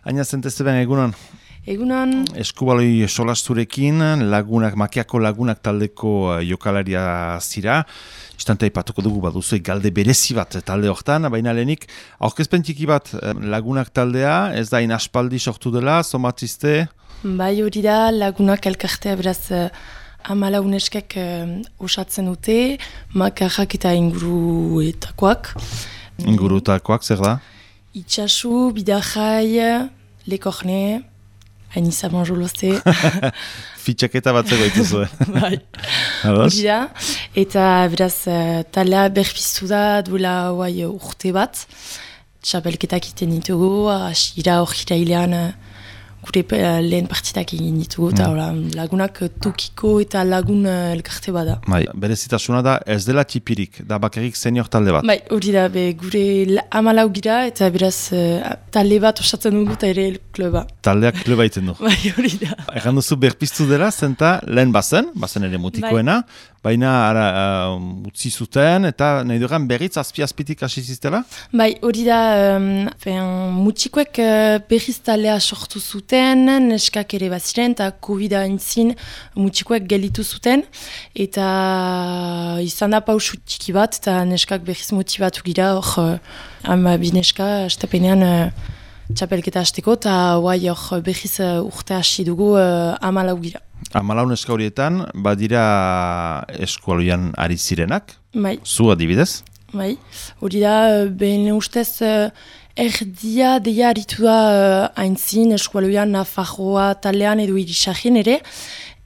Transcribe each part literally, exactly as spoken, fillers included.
Aina zentezeben egunon. Egunon. Eskubaloi solasturekin, lagunak, makiako lagunak taldeko jokalaria zira. Istante aipatuko dugu baduzu galde berezi bat talde hortan, baina lehenik, aurkezpen txiki bat lagunak taldea, ez da inaspaldi sortu dela, zomatzizte? Bai hori da, lagunak elkartea beraz amala uneskek osatzen dute, makarrak eta inguruetakoak. Ingurutakoak, zer da? Itxasu, Bidajai, Lekorne, hain izan jolozte. Fitxaketa bat zego ituzue. Bai, hori da. Eta beraz, talea berpiztu da duela guai urte bat. Txapelketak iten ditugu, asira hor hirailean gure lehen partidak egin ditugu, eta mm. lagunak tokiko eta lagun elkarte bada. Bai, berezitasuna da ez dela txipirik, da bakarrik senior talde bat. Bai, hori da, be, gure amalau gira, eta beraz talde bat osatzen dugu eta ere kluba. Taldeak kluba iten du. Bai, hori da. Egan duzu berpiztu dela, zenta lehen bazen, bazen ere mutikoena, bai. Baina ara, uh, utzi zuten, eta nahi duran berriz azpi-azpitik hasi ziztela? Bai, hori da, um, mutikoek uh, berriz talea sortu zuten, neskak ere baziren, eta COVID-a entzin mutikoek gelitu zuten, eta izan da pausu txiki bat, eta neskak berriz motibatu gira, hor, uh, ama bi neska, estapenean uh, txapelketa hasteko, eta guai hor berriz uh, urte hasi dugu uh, amalau gira. Amalau neska horietan, badira eskualoian ari zirenak? Bai. Zu adibidez? Bai. Hori da, behen ustez, erdia deia aritu da haintzin eskualoian Nafarroa talean edo irisagin ere,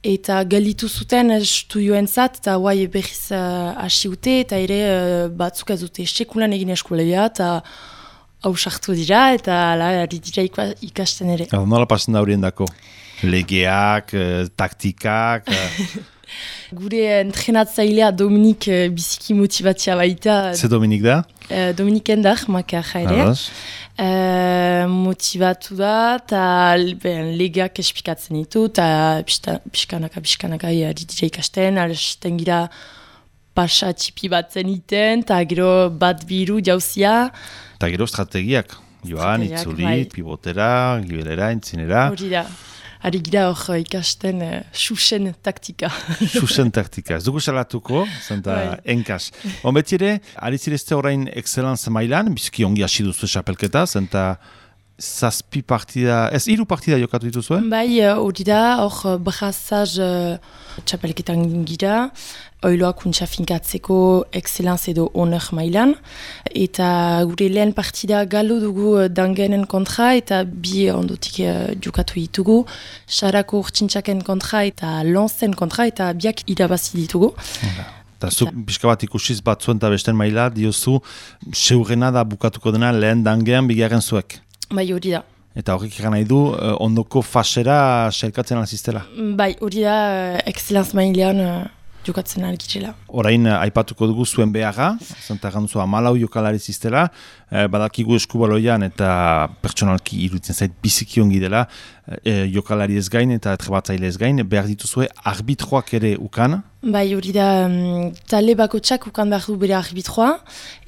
eta gelditu zuten estudioen zat, eta guai berriz hasi uh, ute, eta ere uh, batzuk ez dute sekulan egin eskualoia, eta hausartu dira, eta ala, ari dira ikasten ere. Nola pasen da horien dako? Legeak, eh, taktikak... Eh. Gure entrenatzailea Dominik eh, biziki motibatzea baita. Ze Dominik da? Eh, Dominik Endar, makarra ere. Eh, motivatu da, eta legeak espikatzen ditu, eta pixkanaka, pixkanaka ari dira ikasten, alisten gira pasa txipi bat zeniten, eta gero bat biru jauzia. Eta gero strategiak, joan, itzuli, bai. Pibotera, gibelera, entzinera. Hori da. Ari gira hor ikasten uh, xuxen taktika. Xuxen taktika. Ez dugu salatuko, zenta enkas. On beti ere, ari zirezte orain excellenza mailan, bizki ongi hasi duzu esapelketa, zenta zazpi partida, ez hiru partida jokatu dituzue? Bai, hori da, hor brazaz uh, txapelketan gira, oiloak untsa finkatzeko excellenza edo honor mailan, eta gure lehen partida galo dugu dangenen kontra, eta bi ondotik uh, jokatu ditugu, sarako urtsintxaken kontra eta lonzen kontra, eta biak irabazi ditugu. Eta zuk pixka bat ikusiz batzuen eta besten maila, diozu, seurrena da bukatuko dena lehen dangean bigarren zuek. Bai, hori da. Eta horrek egan nahi du, ondoko fasera selkatzen alziztela? Bai, hori da, excellenz mailean uh, jokatzen algitzela. Orain, aipatuko dugu zuen beharra, zenta gantzua malau jokalari ziztela, eh, badakigu eskubaloian eta pertsonalki iruditzen zait biziki ongi dela, eh, jokalari ez gain eta trebatzaile ez gain, behar dituzue arbitroak ere ukan? Bai, hori da, um, tale bakotxak ukan behar du bere arbitroa,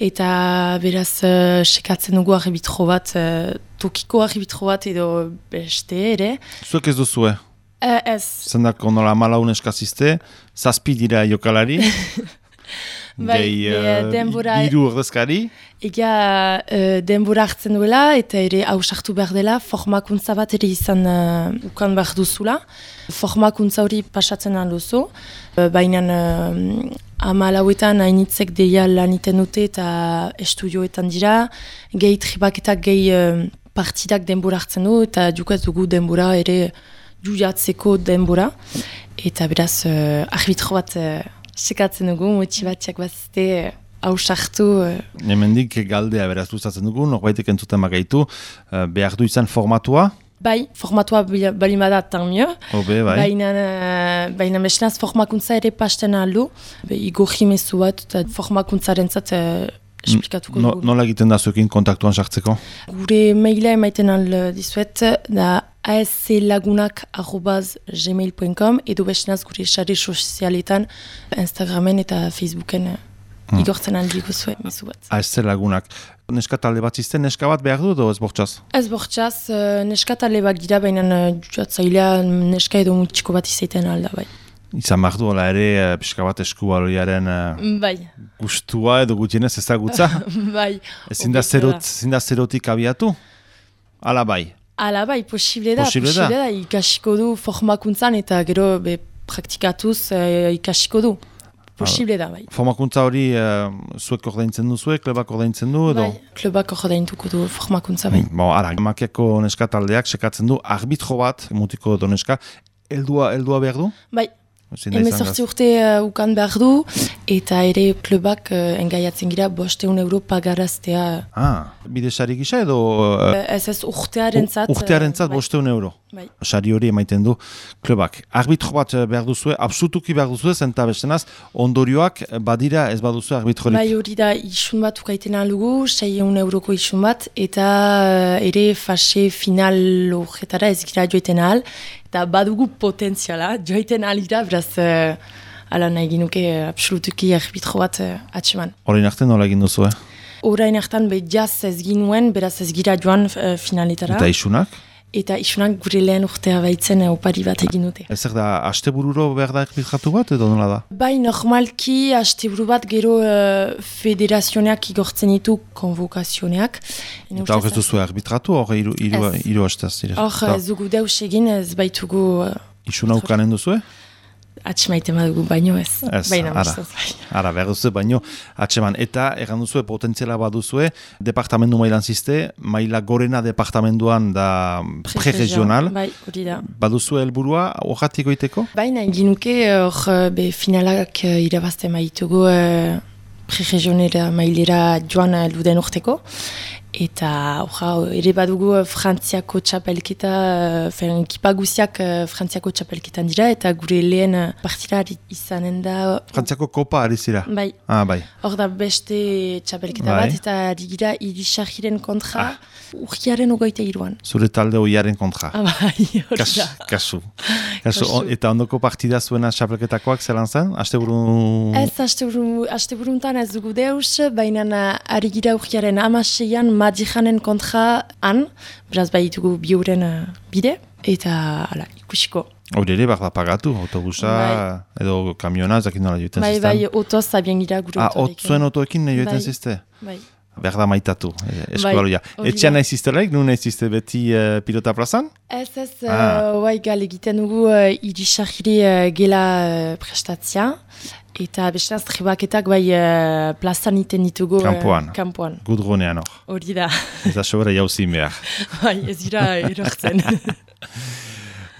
eta beraz uh, sekatzen dugu arbitro bat, uh, tokiko arbitro bat edo beste ere. Zuek ez duzue? Uh, ez. Zendako nola malaun eskazizte, zazpi dira jokalari, bai, gehi uh, denbora... iru ordezkari. Ega uh, denbora hartzen duela, eta ere hausartu behar dela, formakuntza bat ere izan uh, ukan behar duzula. Formakuntza hori pasatzen alduzu, uh, baina uh, amalauetan hainitzek deia laniten dute eta estudioetan dira, gehi tribaketak gehi uh, partidak denbora hartzen du, eta jukaz dugu denbora ere juiatzeko denbora, eta beraz uh, arbitro bat uh, sekatzen dugu, motibatziak bazte uh, hausartu. Uh. Hemendik galdea beraz luzatzen dugu, norbaitek entzuten bagaitu, uh, behar du izan formatua? Bai, formatua balimada tan mio. Obe, bai. Baina, uh, baina mesenaz formakuntza ere pasten aldu, Igor Jimezu bat, eta formakuntzaren zat uh, esplikatuko no, dugu. Nola egiten da zuekin kontaktuan sartzeko? Gure maila emaiten al dizuet, da asclagunak arrobas gmail punto com edo bestenaz gure sare sozialetan, Instagramen eta Facebooken. Hmm. igortzen aldi guzue, mezu bat. Ah, ez zer lagunak. Neska talde bat zizten, neska bat behar du, edo ez bortxaz? Ez bortxaz, uh, neska talde bat gira, baina uh, jatzailea neska edo mutxiko bat izaiten alda, bai. Izan behar du, ala ere, pixka bat eskubaloiaren uh, Bai. gustua edo gutienez ezagutza? Bai. Ezin da zerot, ezin da zerotik abiatu? Ala bai. Ala bai, posible da, Posible posible da. da, ikasiko du formakuntzan eta gero be, praktikatuz uh, ikasiko du. Posible da, bai. Formakuntza hori uh, zuek ordaintzen duzuek, klubak ordaintzen du, edo? Bai, klubak ordaintuko du formakuntza, bai. Bon, ara, makiako neska taldeak sekatzen du arbitro bat, mutiko do neska, heldua, heldua behar du? Bai, Ezin da izan hemezortzi gaz. urte uh, ukan behar du, eta ere klubak uh, engaiatzen gira bosteun euro pagaraztea. Ah, bidesari gisa edo uh, Ez ez urtearen zat. urtearentzat bai. bosteun euro? Bai. Sari hori emaiten du klubak. Arbitro bat eh, behar duzue, absolutuki behar duzue, zenta bestenaz, ondorioak badira ez baduzue arbitrorik. Bai, hori da isun bat ukaiten alugu, seiehun euroko isun bat, eta uh, ere fase final horretara ez gira joiten ahal, eta badugu potentziala, joiten ahal gira, beraz, uh, ala nahi ginuke uh, absolutuki arbitro bat uh, atseman. Horrein arte nola egin duzue? Orain hartan be jaz ez ginuen, beraz ez gira joan uh, finaletara. Eta isunak? Eta isunak gure lehen urtea baitzen uh, opari bat egin dute. Ez da, astebururo behar da arbitratu bat edo nola da? Bai, normalki, asteburu bat gero uh, federazioneak igortzen ditu konvokazioneak. Ene Eta hor ez ustez, duzu arbitratu, hor hiru hiru Ez. hiru astez dira. Hor, ez dugu deus egin, ez baitugu uh, Isuna ukanen duzue? atxemaiten badugu baino ez. Ez, Baina, ara. ustez, bai. Ara, behar duzu, baino, atseman. Eta, erran duzue, potentziala baduzue, departamendu mailan ziste, maila gorena departamenduan da pre-regional. Bai, hori da. Baduzue helburua horretik goiteko? Baina, ginuke, hor, be, finalak uh, irabazte maitugu uh, pre-regionera mailera joan uh, luden urteko. Eta, hor, ere badugu uh, Frantziako txapelketa, uh, fen, ekipa guziak uh, Frantziako txapelketan dira, eta gure lehen uh, partida izanen da... Frantziako kopa ari zira? Bai, Ah, bai. hor da beste txapelketa Bai. bat, eta digira irisarriren kontra urgiaren ogoita iruan. Zure talde hoiaren kontra. Ah, bai, hori Kas, da. kasu. Kasu. Kasu. on- eta ondoko partida zuena txapelketakoak zelan zen? Asteburu... Ez, asteburu- asteburuntan ez dugu deus, baina ari gira urgiaren amaseian Madijanen kontra han, beraz bai ditugu biuren uh, bide, eta ala, ikusiko. Hori ere, behar da pagatu, autobusa, edo kamiona, ez dakit nola joiten Bai, zizten. bai, otoz abien gira gure Ah, otorekin. otzuen otoekin nahi joiten Bai. zizte? Bai. Behar da maitatu, eh, eskubaloia. hori Etxean da. nahi ziztelaik, nun nahi zizte beti uh, pilota plazan? Ez, ez, Ah. uh, bai, gal egiten dugu uh, irisarri uh, gela uh, prestatzia, eta bestenaz tribaketak bai uh, plazan iten ditugu uh, Kanpoan. kanpoan. Gudronean hor. Hori da, Ez da sobera jauzin behar. bai, ez dira erortzen.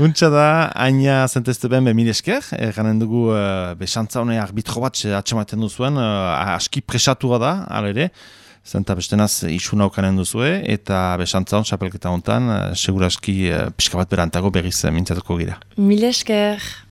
Untsa da, aina zentezte ben be mil esker, ganen dugu uh, besantza hone arbitro bat atxematen duzuen, uh, aski presatua da, alere, zenta bestenaz isuna ukanen duzue, eta besantza hon, xapelketa hontan, uh, seguraski uh, pixka bat berantago berriz uh, mintzatuko gira. Mil esker.